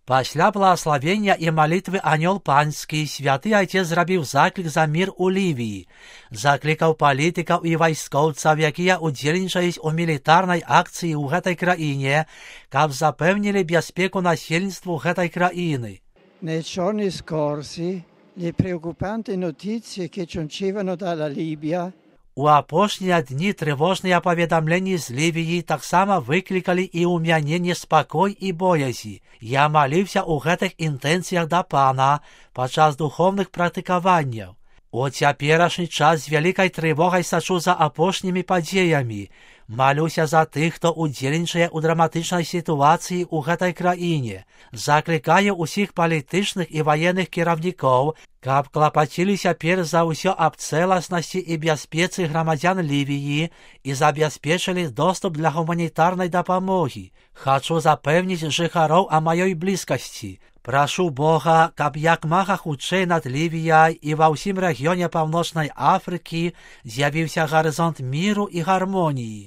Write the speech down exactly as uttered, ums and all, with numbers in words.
Пасля благословення і молитви Анёл Панський святий отець зробив заклик за мир у Лівії, закликав політиків і військовців, які удзельнічаюць у мілітарнай акції у гэтай країні, каб запевнили безпеку насельніцтву гэтай країни. Nei giorni scorsi le preoccupanti notizie che giungevano dalla Libia У апошнія дні тревожныя паведамленні з Лівії таксама выклікалі і ў мяне неспакой і боязі. Я маліўся ў гэтых інтэнцыях да Пана падчас духовных практыкаванняў. У цяперашні час з вялікай трывогай сачу за апошнімі падзеямі. Малюся за тых, хто удзельнічае ў драматычнай сітуацыі ў гэтай краіне. Заклікаю ўсіх палітычных і ваенных кіраўнікоў, каб клапаціліся перш за ўсё аб цэласнасці і бяспецы грамадзян Лівії і забяспечылі доступ для гуманітарнай дапамогі. Хачу запэўніць жыхароў о маёй блізкасці. Прашу Бога, каб як мага хутчэй над Лівіяй і ва ўсім рэгіёне Паўночнай Афрыкі з'явіўся гарызонт міру і гармоніі.